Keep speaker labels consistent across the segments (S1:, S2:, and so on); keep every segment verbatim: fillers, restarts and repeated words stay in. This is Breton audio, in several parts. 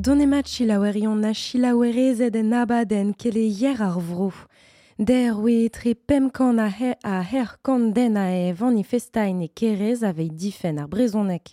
S1: Donemat chilaouerion na chilaouerezed en abadenn keleier ar vro. Der oe tre pemp kant a her, a her kant den a e vanifestain e kerez aveit difen ar brezhoneg.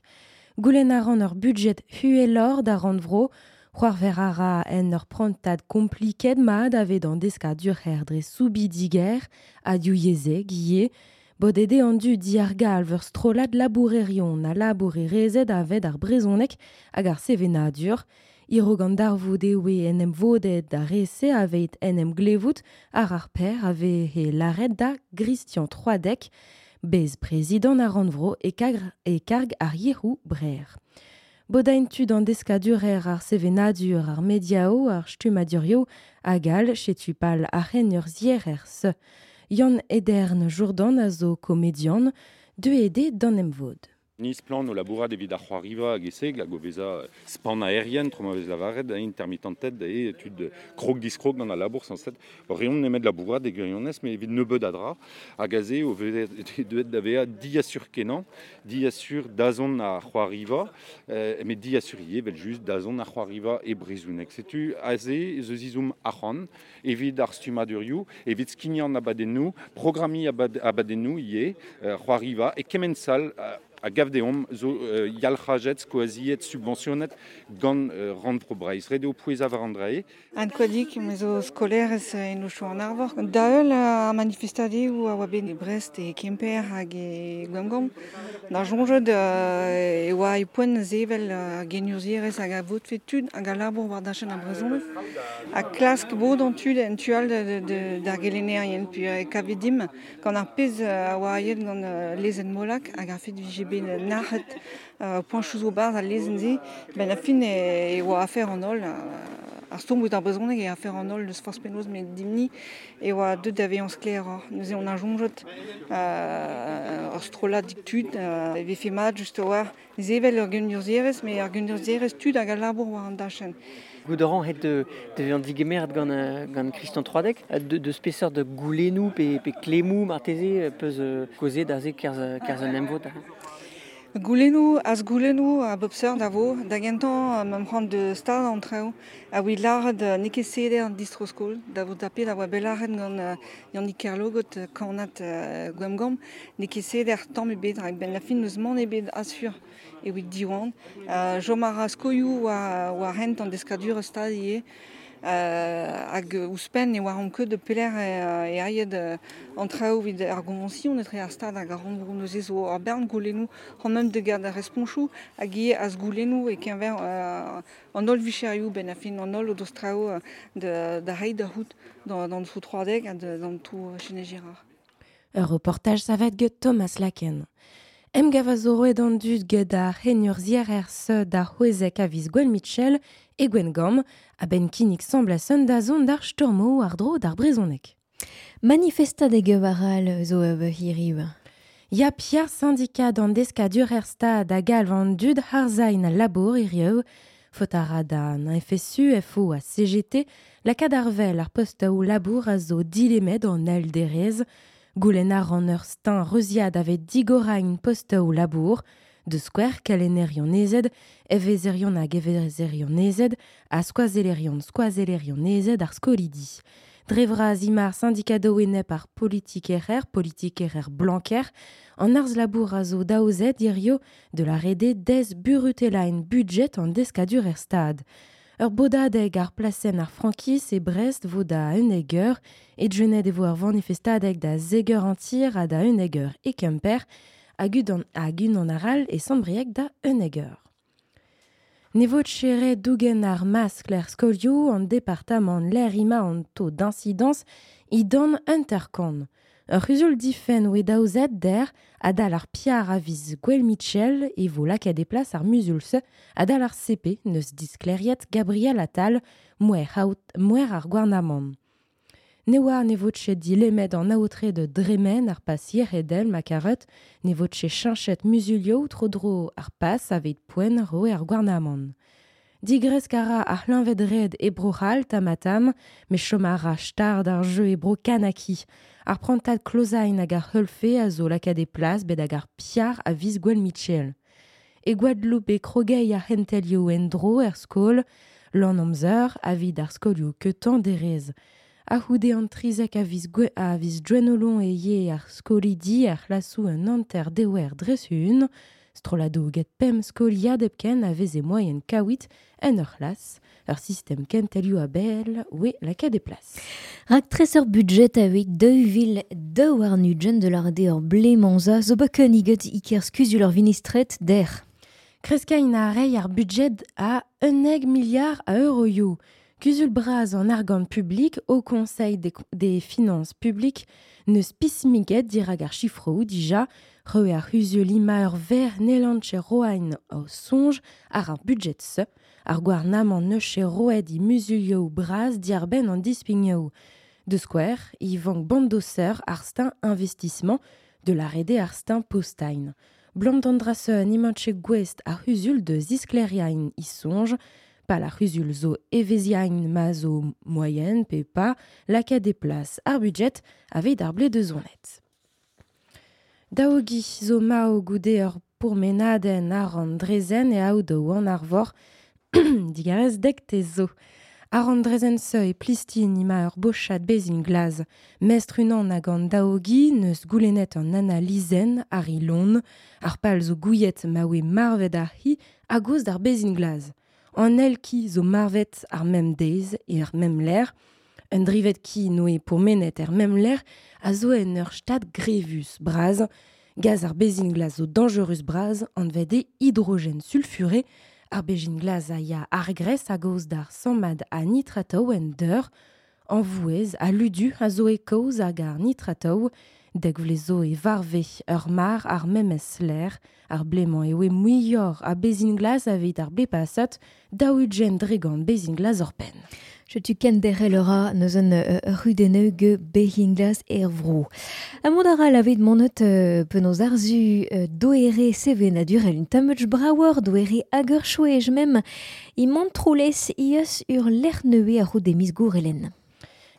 S1: Goulenn a ran ur budget huelor da rannvro, c'hoarver a ra en ur prantad kompliket mat avet an deskadur her dre soubidiger ha div yezhek ivez. Bodede an du diargal ur strollad labourerion a labourerezed avet ar brezhoneg hag ar sevenadur. Iro gant darvoud eo en em vodet da rese aveit en em glevout ar ar per ave he laret da Christian Troadec, bez prezidant ar rannvro e karg, e karg ar yec'hou brer. Bodain tud an deskadurer ar sevenadur ar mediao ar stummadurio hag all chetu pal ar c'hen ur zierer se. Yann Edern Jourdan a zo komedian, deux ede d'an em vod.
S2: Niz plan o labourat evit ar c'hoariva hag eseg hag o veza span aerien, tro ma vez lavaret, intermittented, e tud krog diskrog gant al labour sañset. Reont nemet labourat e gwirionez, met evit nebeud a dra, hag aze o vez deuet da vezañ diasur kenañ, diasur dazont ar c'hoariva, euh, met diasur ivez, evel just dazont ar c'hoariva e brezhoneg. Setu aze eus izoum arc'hant, evit ar stummadurioù, evit skignañ abadennoù, programmiñ abad, abadennoù ivez, euh, c'hoariva, e kement sal euh, a gav deomp zo euh, yalc'hajet, skoaziet, subventionet gant euh, rannvro Breizh. Ret eo pouezañ war an drae.
S3: Anne Koadik, me zo skolaerez en Ocho an Arvor. Da heul ar manifestadeoù a oa bet e Brest e Kemper hag e Gwengamp. Da soñjet e oa e poent sevel genurzhierez hag a votfe tud hag a labour war dachenn ar brezhoneg. Ha klask bod an tud en tu all d'ar gelennerien. Puis e kavet dimp gant ar pezh a oa aet gant lezenn Molac hag ar fet vije bet nac'het euh, poañchoù zo barzh al lezenn-se, ben a fin e, e oa afer an holl, ar stourm ouzh ar brezhoneg e afer an holl deus forzh penaos met dimp-ni e oa deuet da vezañ sklaeroc'h. Neuze on a soñjet euh, ur strollad tud euh, e vefe mat just a-walc'h sevel ur genurzhierez, met ur genurzhierez tud hag a labour war an dachenn.
S4: Goudoran het de, de vezañ digemeret gant, gant Christian Troadec, de, de speseur de goulennoù pe, pe klemmoù marteze peus kaozeet aze kerzh, kerzh an emvod.
S3: Goulennoù, az goulennoù a bep seurt a vo, da gentañ ma c'hoant de stad an traoù, a oa lâret n'eo ket seder an distro-skol, da vo tapet a oa bet lâret gant Yannick Kerlogot kannad Gwengamp, n'eo ket seder tamm ebet, rak ben la fin n'eus mann ebet asur evit diwan. Chom a ra skoioù war, war hent an deskadur stad ivez. Hag ouzhpenn e oa an ket de pelec'h e aet an traoù evit ar goñvañsion etre ar stad hag ar rannvro neuze zo ur bern goulennoù c'hoant meump da gad ar responchoù hag ivez az goulennoù e-keñver an holl vicherioù ben a fin an holl o deus traoù da, da reiñ da c'hoût d'an trou Troadec ha d'an trou Chesnay Girard.
S1: Ur reportaj savet get Thomas Laken. Emgav a zo roet an dud get ar c'henurzhierer se da c'hwezek a viz Gwen Mitchell e Gwengamp a-benn kinnig semblasen da zont d'ar stormo ar dro d'ar brezhoneg.
S5: Manifestadeg war al zo eo hiriv.
S1: Ya Pierre syndikat an deskadurer stad a galv an dud harzain al labour hiriv. Faot a ra da an F S U, F O ha C G T, lakaat ar vel ar postaoù labour a zo dilemet an al derez. Goulenn ar an ur stein reuziad avet digorain postaoù labour, de square kalenerion ezed, evezerion hag evezerion ezed, ha skoazelerion skoazelerion ezed ar skolidi. Dre vras imar syndikado enep ar politikerer, politikerer blanker, an arz labour a zo daouzet hirio de la rede dez burutelain budget an deskadur er stad. Ur bodadeg ar plasenn ar frankiz e Brest vo da un eger, e djenet e vo ar vanifestadeg da zeger antir ha da un eger e Kemper, hag unan, hag unan aral e Sant-Brieg da un eger. Ne vo tchere dougen ar maskl er skolioù an departamant l'air ima an taux d'incidence i dan interkon. Ur c'huzul difenn oe daouzet der adal ar piar a viz Gwel Mitchell e vo lakaet e plas ar muzul-se adal ar C P neus diskleriet Gabriel Attal mouer haout, mouer ar gouarnamant. Ne oa ne vo tchet dilemet an aotre de dremen ar pas yeredel ma karet, ne vo tchet chinchet muzulio tro dro ar pas aveit poen roe ar gouarnamant. Digresk a ra ar c'hleñved red e Bro-C'hall tamatam, met chom a ra stard ar jeu e Bro Kanaki. Ar prantad klozain hag ar c'heulfe a zo lakaet e plas bet hag ar piar a viz Gwel Mitchell. E Guadeloupe e krogei ar c'hentelioù en-dro er skol, Lan amzer a vid ar skolioù ketan derez. A houde an trizek a viz, gwe, a viz dwenolon e ye ar skolidi ar c'hlasou un anter dewer dresun. Strolado get pem skoliad epken a veze moyen kawit en ur c'hlas. Ur sistem kentelioù a bel oe lakaet e plas.
S5: Rak tres ur budget aveit deux vil deux war nugent de l'arde ur blemanza zo baken iget iker skuzul ur vinistret der.
S1: Kreskain a rei ar budget a un eg milliard a euroioù. Kuzul braz an argant public au Conseil des, des finances publiques ne spismiget dirag ar chifrou dija re ar huzul ima ur ver nelanche roain o sonj ar ar budget se ar gouarnamant neuche roed i musulioù braz diarben an dispignoù. De square, i vank bandoser ar stin investissement de la rede ar stin postain. Blam d'andrase an imanche gwest ar huzul de ziskleriain i sonj, pa la huzul zo eveziain ma zo moyen pe pa lakaet des places ar budget aveit ar ble de zonet. Daogi zo mao goude ur pourmenadenn ar an drezen e aodo an arvor digarez dek te zo. Ar an drezen se e plistin ima ur bochat bezin glaz. Mestr unan hag an daogi neus goulennet an analizen ar ilon, ar pal zo gouiet ma oe marvet ar hi a goz d'ar bezin glaz. An el ki zo marvet ar mem deiz e ar mem ler, un drivet ki noe pourmenet er mem ler a zo en ur stad grevus braz, gaz ar bezin glaz zo dangerus braz an vede hydrogène sulfuré, ar bezin glaz a ya ar gres a goz d'ar sammad a nitrataou en deur, an vouez a ludu a zo e kaoz hag ar nitrataou, deg vlezo e varve ur mar ar memes ler, ar blemañ e oe muior a bezin glaz aveit ar ble pasat, daou-ugent dregant bezin glaz ur penn.
S5: Chetu ken derel ura neus un uh, rudeneu ge bezin glaz er vro. A mont ara lavet monet uh, penaos arzu uh, doere sevenadurel un tammutch braouer doere agur chouej mem i mantroulez ios ur lec'h neue a rout demis gourelen.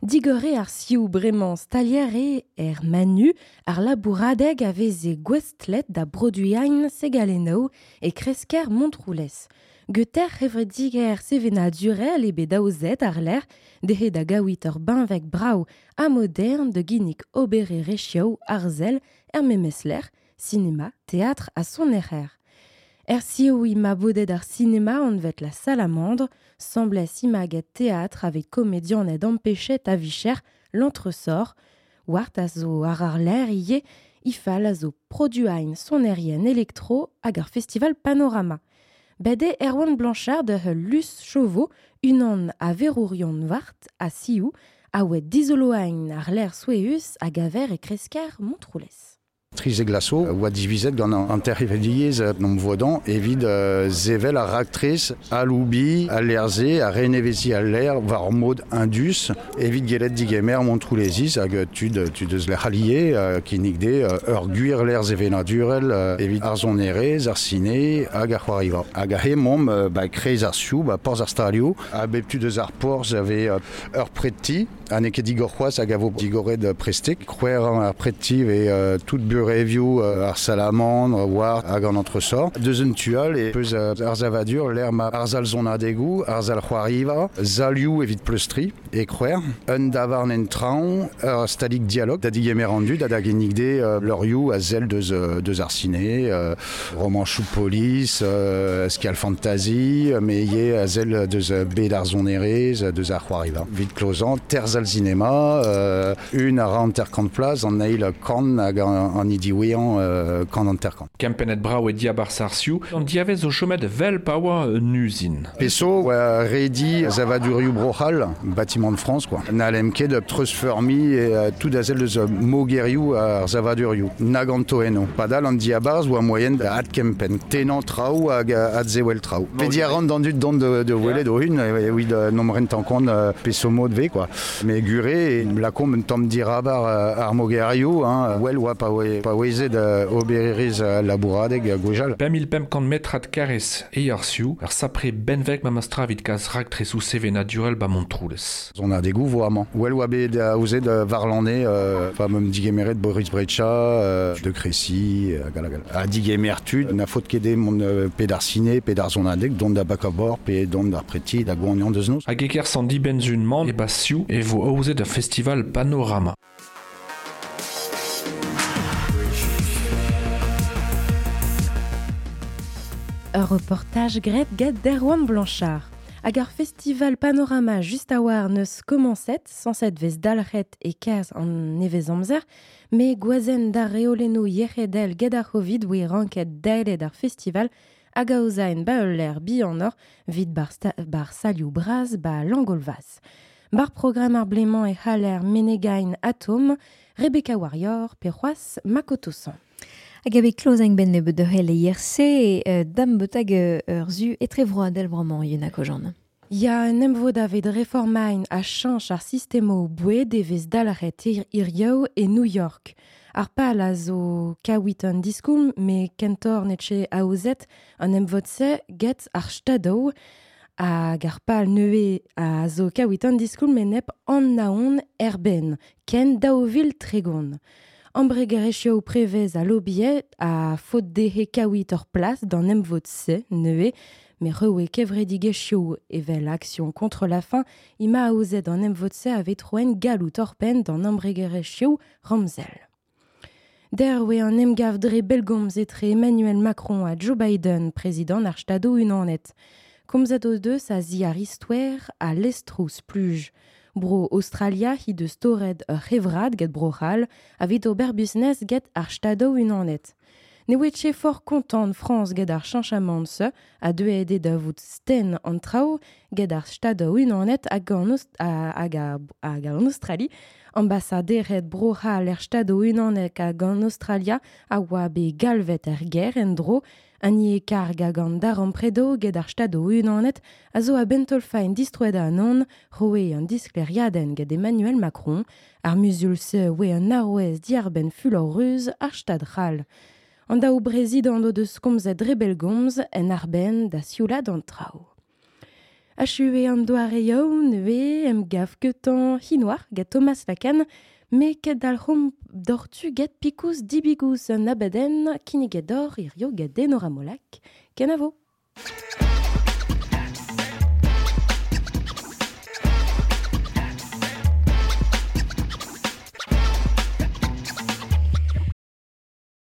S1: Digore ar sioù bremañ stalier e er manu ar labouradeg a veze gwestlet da broduiain segalenno e kresker Montroulez. Geter hevrediger sevenadurel e bet daouzet ar ler dehe da gaouit ur benveg brao a modern de ginnig obere rechioù arzel er memesler, cinéma, théâtre a son erer. Er sioù ima bodet ar cinéma anvet la salamandre, semblait imaget théâtre avec comédien ed empêchet a vicher l'entresort, wart a zo ar ar l'air ie, ifal a zo produain sonerien électro hag ar festival Panorama. Bede Erwan Blanchard de Lus Chauveau, unan a verourion wart a siou, a oe dizoloain ar l'air soueus hag aver e kresker Montroulez.
S6: Trize glaso, oa divizet gant an terrivediez nom vodan evit uh, zevel ar raktres a loubi, a lerze, a renevezi a l'air war mod indus, evit gelet digemer Montroulezis hag tud, tud eus lec'h allié uh, kinnig de uh, ur gwir l'air zevenadurel uh, evit ar zonerez, ar sine hag ar c'hoariva. Hag a he mom uh, ba kreiz ar sioù, ba porz ar stalioù, a bep tud eus ar porz ave uh, ur preti, a ne ket digor c'hoaz hag a vo digoret prestek, c'hwer ar preti ve uh, tout bur review ar salamandre, war hag an entresort. Deus un tual e peus ar zavadur l'air ma ar zal zonadegou, ar zal c'hoariva, zalioù evit pleustri e c'hwer, un davarn en traon, ur stalig dialog, da digemer an dud, da da gennig de uh, leurioù a zel deus, deus ar ciné, uh, roman chou police, uh, skial fantasy, me ye a zel deus bed ar zonerez, deus ar c'hoariva. Vit klozan, ter zal cinema, uh, un ar an ter kant plaz, an eil kan hag an, an diwian euh, kan an terkan.
S7: Kempennet brao e diabar sarsiou, an diavez o chomet vel pa oa un usine.
S6: Peso, oa redi zavadurioù brochal, bâtiment de France, quoi. Na lem ket treusfermi e uh, tout a zel deus mogerioù ar zavadurioù. Nag an toeno. Padal an diabarz oa moyen da ad kempen. Tenan traoù hag ad zewel traoù. Pedi a ran d'an dud dont de, de welet o hun, e oid nom rent an kont uh, peso mod ve, quoi. Me gure, lakom un tamm dirabar ar mogerioù, hein, well oa pa oe, pa oezet obererez labouradeg gwejal.
S7: pemp mil pemp kant metrad karrez e ar sioù, ar sapre benveg ma mastra evit kas raktresoù sevenadurel ba Montroulez.
S6: On a des gouvo amañ. Well oa bet aozet varlané, euh, pa meum digemeret Boris Brecha, euh, de Crécy, euh, gal gal. A digemer tud, na faot ket eo mont euh, pe d'ar ciné, pe d'ar zonadeg, dont da bakabor, pe dont d'ar preti, da goanian deus noz.
S7: Hag eker san dibenzun man e ba sioù e vo aozet ur festival Panorama.
S1: Ur reportaj gret get d'Erwan Blanchard. Hag ar festival Panorama just a war neus komañset, sañset vez dalc'het e kaz an nevez amzer, me gwazen d'ar reolennoù yec'hedel get ar c'hovid oe ranket daelet ar festival hag aozaen ba ul lec'h bihanoc'h vit bar, sta- bar salioù bras ba Langolvas. Bar programm ar blemañ e c'haller Menegain Atom, Rebecca Warrior, pe c'hoazh Makoto San.
S5: Hag ave klozeng ben nebeut de hel e I R C, euh, dam betag ur zu etrevroadel bremañ Yuna Kojan.
S1: Ya un emvod aved reformain a chañch ar sistemo boued e vez dalc'het ir irioù e New York. Ar pal a zo kaouit an diskoulm, me kentor netche aozet an emvod-se get ar stadoù hag ar pal neue a zo kaouit an diskoulm enep an naon erben, ken daou vil tregont. Embregerezhioù prevez a lobiet a faot dezhe kaouit ur plas d'an emvod-se neue, me reoe kevredigezhioù evel Action contre la faim, ima aozet an emvod-se a vetroen gallout orpen d'an embregerezhioù Ramzel. Der oe an emgav dre belgomz etre Emmanuel Macron ha Joe Biden, prezidant ar Stadoù Unanet. Komzet o deus a ziar istoer a lestrous pluj. Bro Australia he deus torret ur c'hevrad get bro c'hall avit ober business get ar Stadoù Unanet. Ne oe ket fort kontant France get ar chañchamant se a deuet eo da vout sten an traoù get ar Stadoù Unanet hag an, Aust- hag hag an Australie. Ambassaderet bro c'hall er Stadoù Unanet hag an Australia a oa bet galvet er ger en dro an ie karg hag an darempredoù get ar Stadoù Unanet a zo a bentolfaen distroet an roe an diskleriadenn get Emmanuel Macron, ar muzul se oe an arouez diarbenn fulor ruz ar Stad c'hall. An daou brezidant o deus komzet dre bellgomz en arbenn da sioulad an traoù. Achu an doare yaou neuze em gav ketan hinoar get Thomas Lacan, me ket dalc'homp dortu get pikous dibigous an abadenn kinniget d'or hirio get Enora Molac. Kenavo.